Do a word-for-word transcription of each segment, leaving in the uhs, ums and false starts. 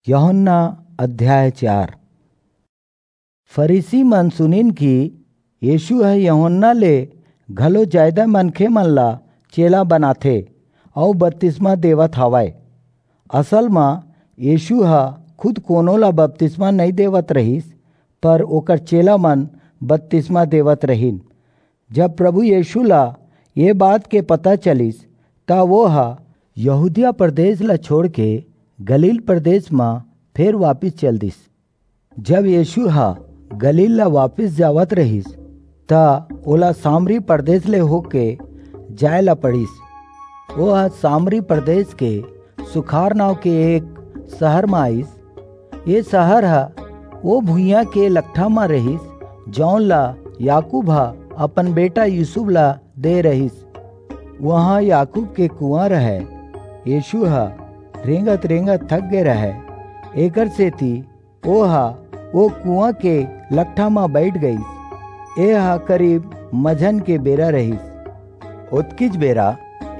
यूहन्ना अध्याय चार। फरीसी मन सुनिन कि यीशु ह यूहन्ना ले घलो जादा मनखे मन ला चेला बनाथे अऊ बतिसमा देवत हवय। असल म यीशु ह खुद कोनो ला बतिसमा नइं देवत रहिस, पर ओकर चेला मन बतिसमा देवत रहिन। जब प्रभु यीशु ला ये बात के पता चलिस, त वो ह यहूदिया प्रदेश ला छोड़ के गलील प्रदेश म फेर वापिस चल दिस। जब यीशु ह गलील ला वापिस जावत रहिस, त ओला सामरी प्रदेश ले होके जाय ला पड़िस। वो ह सामरी प्रदेश के सुखार नांव के एक शहर म आइस। ये शहर ह ओ भुइयां के लकठा म रहिस, जौन ला याकूब ह अपन बेटा यूसुफ ला दे रहिस। वहां याकूब के कुआं रहय। यीशु ह रेंगत-रेंगत थक गे रहय, एकर सेती ओह ओ कुआं के लकठा म बइठ गईस। एह करीब मझन के बेरा रहिस। ओतकीच बेरा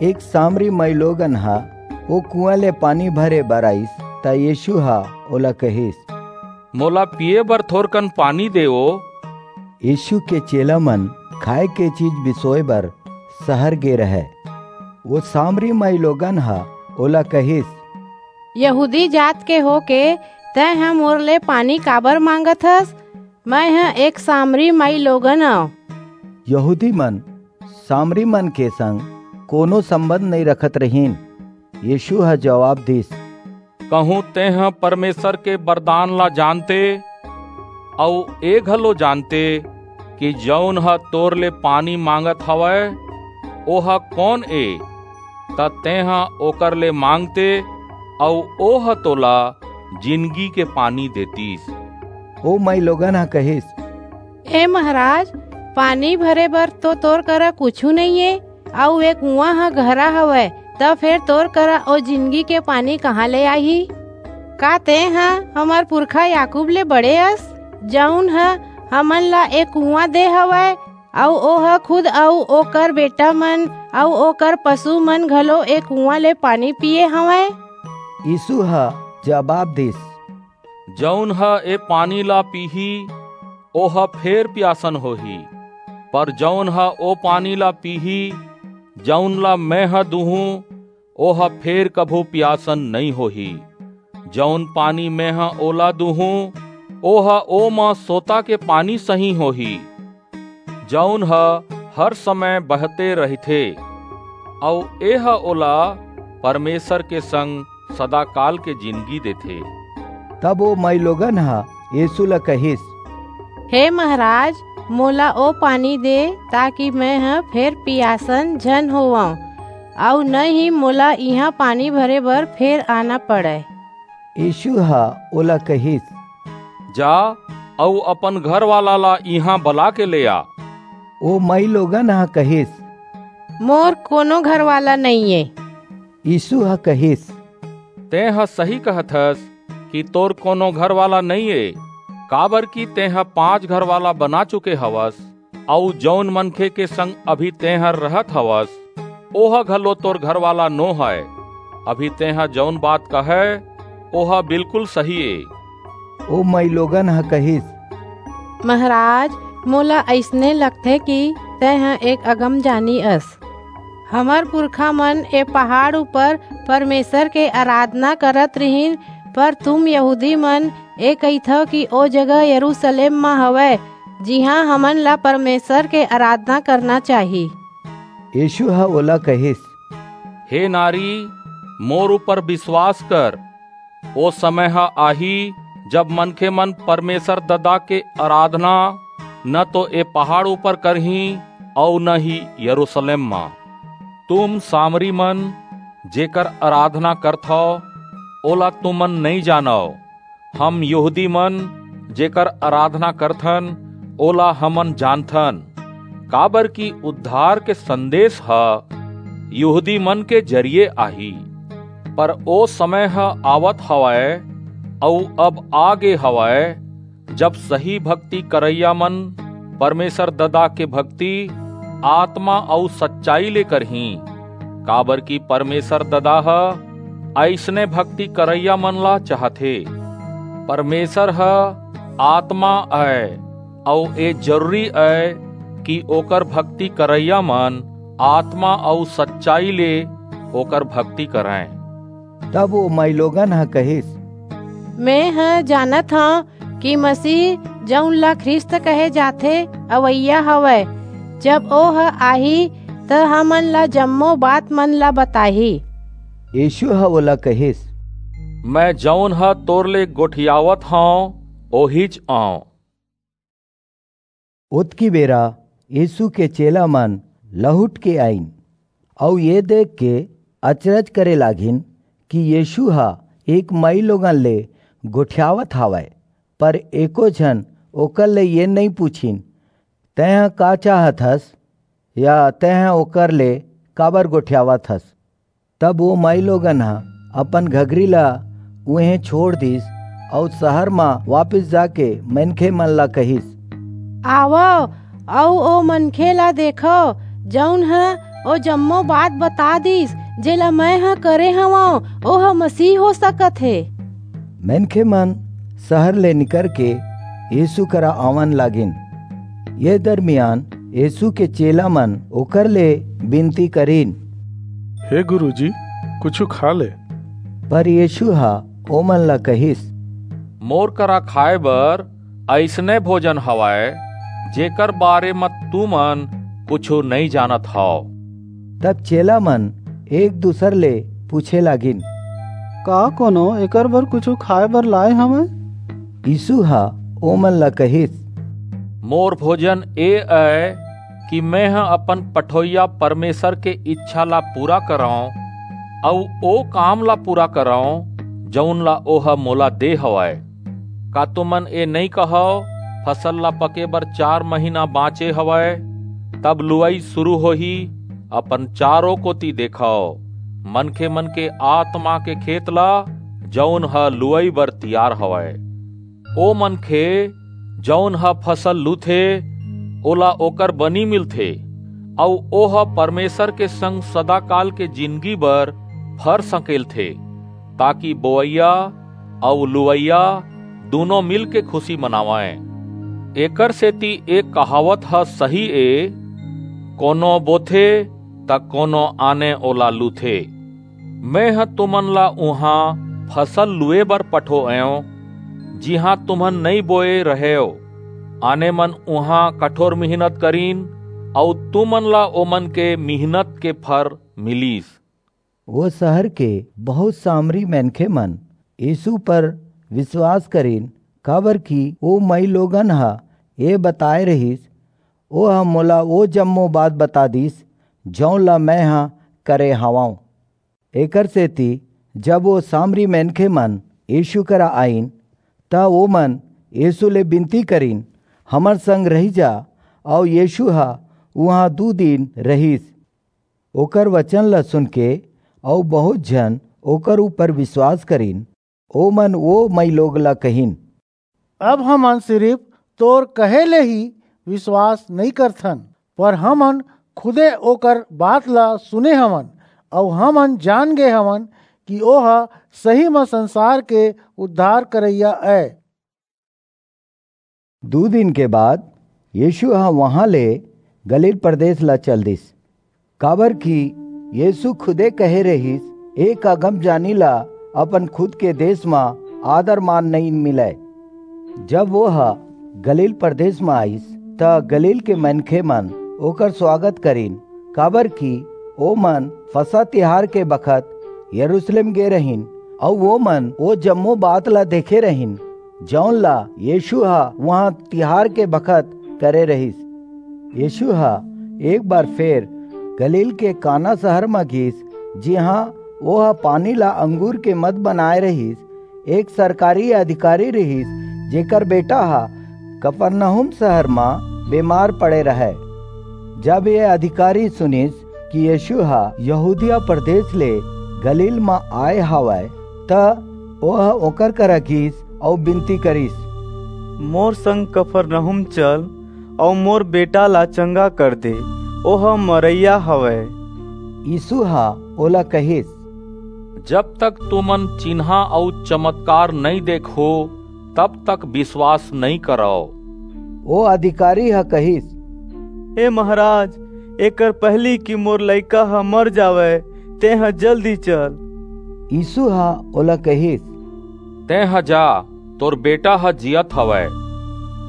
एक सामरी माईलोगन ह ओ कुआं ले पानी भरे बर आइस, त यीशु ह ओला कहिस, "मोला पीये बर थोरकन पानी देवो।" यीशु के चेला मन खाए के चीज बिसोए बर शहर गे रहय। वो सामरी माईलोगन ह ओला कहिस, "यहूदी जात के होके तैं ह मोर ले पानी काबर मांगत हस? मैं ह एक सामरी माईलोगन अंव।" यहूदी मन सामरी मन के संग कोनो संबंध नइं रखत रहिन। यीशु ह जवाब दिस, "कहूं तेंह परमेसर के बरदान ला जानते, अऊ ए घलो जानते कि जऊन ह तोर ले पानी मांगत हवय, ओह कोन ए, त तेंह ओकर ले मांगते, अऊ ओह तोला जिनगी के पानी देतिस।" ओ माईलोगन ह कहिस, "ए महाराज, पानी भरे बर तो तोर करा कुछू नइं ए, अऊ ए कुआं ह गहरा हवय, त फेर तोर करा ओ जिनगी के पानी कहां ले आही? का तेंह हमर पुरखा याकूब ले बड़े अस, जऊन ह हमन ला ए कुआं दे हवय, अऊ ओह खुद अऊ ओकर बेटा मन अऊ ओकर पसु मन घलो ए कुआं ले पानी पीये हवंय?" यीशु ह जवाब दिस, "जऊन ह ए पानी ला पीही, ओह फेर पियासन होही, पर जऊन ह ओ पानी ला पीही, जऊन ला मेंह दूहूं, ओह फेर कभू पियासन नइं होही। जऊन पानी मेंह ओला दूहूं, ओह ओमा सोता के पानी सहीं होही, जऊन ह हर समय बहते रहिथे, अऊ एह ओला परमेसर के संग सदाकाल के जिनगी देथे।" तब ओ माईलोगन ह यीशु ला कहिस, "हे महाराज, मोला ओ पानी दे, ताकि मेंह फेर पियासन झन होवंव, अऊ न ही मोला इहां पानी भरे बर फेर आना पड़य।" यीशु ह ओला कहिस, "जा, अऊ अपन घरवाला ला इहां बला के ले आ।" ओ माईलोगन ह कहिस, "मोर कोनो घरवाला नइं ए।" यीशु ह कहिस, "तेंह सही कहत हस कि तोर कोनो घरवाला नइं ए, काबरकि तेंह पांच घरवाला बना चुके हवस, अऊ जऊन मनखे के संग अभी तेंह रहत हवस, ओह घलो तोर घरवाला नो हय। अभी तेंह जऊन बात कहय, ओह बिल्कुल सही ए।" ओ माईलोगन ह कहिस, "महाराज, मोला अइसने लगथे कि तेंह एक अगमजानी अस। हमर पुरखा मन ए पहाड़ ऊपर परमेसर के अराधना करत रिहिन, पर तुम यहूदी मन ए कहिथव कि ओ जगह यरूसलेम म हवय, जिहां हमन ला परमेसर के अराधना करना चाही।" यीशु ह ओला कहिस, "हे नारी, मोर ऊपर बिसवास कर, ओ समय ह आही, जब मनखे मन परमेसर ददा के अराधना न तो ए पहाड़ ऊपर करहीं अऊ न ही यरूसलेम म। तुम सामरी मन जेकर अराधना करथव, ओला तुमन नइं जानव। हम यहूदी मन जेकर अराधना करथन, ओला हमन जानथन, काबरकि उद्धार के संदेस ह यहूदी मन के जरिये आही। पर ओ समय ह आवत हवय, अऊ अब आ गे हवय, जब सही भक्ति करइया मन परमेसर ददा के भक्ति आतमा अऊ सच्चाई ले करहीं, काबरकि परमेसर ददा ह अइसने भक्ति करइया मन ला चाहथे।" परमेसर ह आतमा अय, अऊ ए जरूरी अय कि ओकर भक्ति करइया मन आतमा अऊ सच्चाई ले ओकर भक्ति करंय। तब ओ माईलोगन ह कहिस, मेंह जानत हंव कि मसीह, जऊन ला ख्रीस्त कहे जाथे, अवइया हवय। जब ओह आही, त हमन ला जम्मो बात मन ला बताही। यीसू ह ओला कहिस, मैं जऊन ह तोर ले गोठियावत हंव, ओहीच अंव। ओतकी बेरा यीसू के चेला मन लहुट के आईन, अऊ ये देख के अचरज करे लागिन कि यीसू ह एक माईलोगन ले गोठियावत हवय। पर एको झन ओकर ले ये नइं पुछिन, "तैंह का चाहत हस?" या "तैंह ओकर ले काबर गोठियावत हस?" तब ओ माईलोगन ह अपन घगरी ला उहें छोंड़ दीस अऊ सहर म वापिस जाके मनखेमन ला कहिस, आवव अऊ ओ मनखे ला देखव, जऊन ह ओ जम्मो बात बता दीस, जेला मेंह करे हवंव, ओह मसीह हो सकत हे। मनखेमन सहर ले निकरके यीसू करा आवन लागिन। ये दरमियान यीसू के चेलामन ओकर ले बिनती करिन, हे गुरुजी, कुछू खा ले। पर यीसू ह ओमन ला कहिस, मोर करा खाय बर अइसने भोजन हवय, जेकर बारे म तुमन कुछू नइं जानत हव। तब चेलामन एक-दूसर ले पूछे लागिन, का कोनो एकर बर कुछू खाय बर लाय हवय? यीसू ह ओमन ला कहिस, मोर भोजन ए अय कि मेंह अपन पठोइया परमेसर के ईछा ला पूरा करंव अऊ ओ काम ला पूरा करंव, जऊन ला ओह मोला दे हवय। का तुमन ए नइं कहव, फसल ला पके बर चार महीना बांचे हवय, तब लुवई सुरू होही? अपन चारों कोति देखव, मनखेमन के आतमा के खेत ला, जऊन ह लुवई बर तियार हवय। ओ मनखे, जऊन ह फसल लूथे, ओला ओकर बनी मिलथे, अऊ ओह परमेसर के संग सदाकाल के जिनगी बर फर सकेलथे, ताकि बोवइया अऊ लुवइया दूनों मिलके खुसी मनावंय। एकरसेति ए कहावत ह सही ए, कोनो बोथे, त कोनो आने ओला लूथे। मेंह तुमन ला उहां फसल लुए बर पठोएंव, जिहां तुमन नइं बोए रहेव। आने मन उहां कठोर मिहनत करिन, अऊ तुमन ला ओमन के मिहनत के फर मिलिस। ओ सहर के बहुंत सामरी मनखेमन यीसू पर बिसवास करिन, काबरकि ओ माईलोगन ह ए बताय रिहिस, ओह मोला ओ जम्मो बात बता दीस, जऊन ला मेंह करे हवंव। एकरसेति जब ओ सामरी मनखेमन यीसू करा आईन, त ओमन यीसू ले बिनती करिन, हमर संग रहि जा। अऊ यीसू ह उहां दू दिन रिहिस। ओकर बचन ला सुनके अऊ बहुंत झन ओकर ऊपर बिसवास करिन। ओमन ओ माईलोग ला कहिन, अब हमन सिरिप तोर कहे ले ही बिसवास नइं करथन, पर हमन खुदे ओकर बात ला सुने हवन, अऊ हमन जान गे हवन कि ओह सही म संसार के उद्धार करइया अय। दू दिन के बाद यीसू ह उहां ले गलील परदेस ला चल दीस, काबरकि यीसू खुदे कहे रिहिस, एक अगमजानी ला अपन खुद के देस म आदर-मान नइं मिलय। जब ओह गलील परदेस म आईस, त गलील के मनखेमन ओकर सुवागत करिन, काबरकि ओमन फसह तिहार के बखत यरूसलेम गे रहिन, अऊ ओमन ओ जम्मो बात ला देखे रहिन, जऊन ला यीसू ह उहां तिहार के बखत करे रिहिस। यीसू ह एक बार फेर गलील के काना सहर म गीस, जिहां ओह पानी ला अंगूर के मद बनाय रिहिस। एक सरकारी अधिकारी रिहिस, जेकर बेटा ह कफरनहूम सहर म बेमार पड़े रहय। जब ये अधिकारी सुनिस कि यीसू ह यहूदिया परदेस ले गलील म आय हवय, त ओह ओकर करा गीस अऊ बिनती करिस, मोर संग कफरनहूम चल, अऊ मोर बेटा ला चंगा कर दे, ओह मरइया हवय। यीसू ह ओला कहिस, जब तक तुमन चिन्हां अऊ चमतकार नइं देखो, तब तक विश्वास नइं करव।" ओ अधिकारी ह कहिस, "हे महाराज, एकर पहिली कि मोर लइका ह मर जावय, तेंह जल्दी चल।" यीसू ह ओला कहिस, "तेंह जा, तोर बेटा ह जीयत हवय।"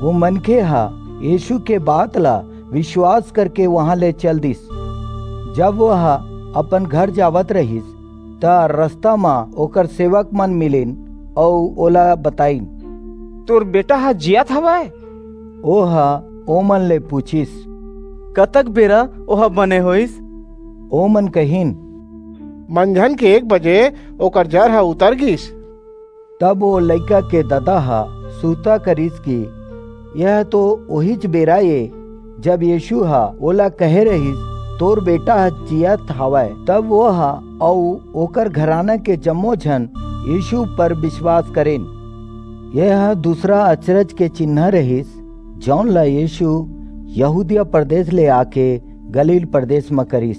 वो मनखे ह यीसू के बात ला विश्वास करके उहां ले चल दिस। जब वह अपन घर जावत रहिस, त रस्ता म ओकर सेवकमन मिलिन अऊ ओला बताईन, "तोर बेटा ह जीयत हवय।" ओह ओमन ले पुछिस, "कतक बेरा ओह बने होईस?" ओमन कहिन, "मंझन के एक बजे ओकर जर ह उतर गीस।" तब ओ लइका के ददा ह सुरता करिस कि यह तो ओहीच बेरा ए, जब यीसू ह ओला कहे रहिस, "तोर बेटा ह जीयत हवय।" तब ओह अऊ ओकर घराना के जम्मो झन यीसू पर विश्वास करिन। यह दूसरा अचरज के चिन्ह रहिस, जऊन ला यीसू यहूदिया परदेस ले आके गलील परदेस म करिस।